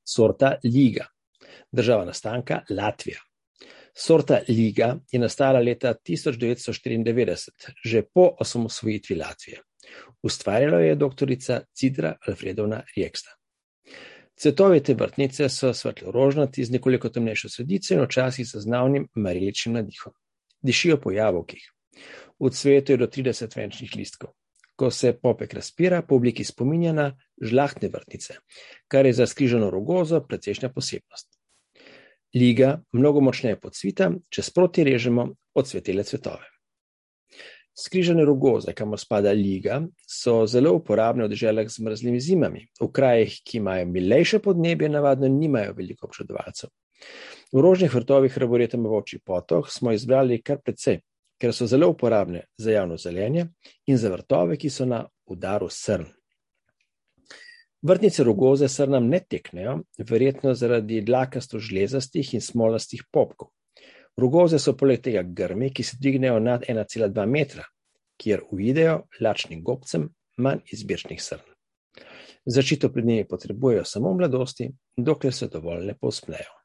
Sorta Liga. Država nastanka Latvija. Sorta Liga je nastala leta 1994, že po osamosvojitvi Latvije. Ustvarjala je doktorica Cidra Alfredovna Rieksta. Cvetovi te vrtnice so svetlo-rožnati z nekoliko temnejšo sredico in včasih zaznavnim mareličnim nadihom. Dišijo po jabolkih. V cvetu je do 30 venčnih listkov. Ko se popek razpira, po obliki spominja na žlahtne vrtnice, kar je za skrižano rogozo precejšnja posebnost. Liga mnogo močneje pocvita, če sproti režemo odsvetele cvetove. Skrižane rogoze, kamor spada liga, so zelo uporabne v deželah z mrzlimi zimami. V krajih, ki imajo milejše podnebje, navadno nimajo veliko občudovalcev. V rožnih vrtovih Arboretum v Volčji Potok smo izbrali kar precej, ker so zelo uporabne za javno zelenje in za vrtove, ki so na udaru srn. Vrtnice rogoze srnam ne teknejo, verjetno zaradi dlakasto-žlezastih in smolastih popkov. Rogoze so poleg tega grmi, ki se dvignejo nad 1,2 metra, kjer uidejo lačnim gobcem manj izbirčnih srn. Zaščito pred njimi potrebujejo samo v mladosti, dokler se dovolj ne povzpnejo.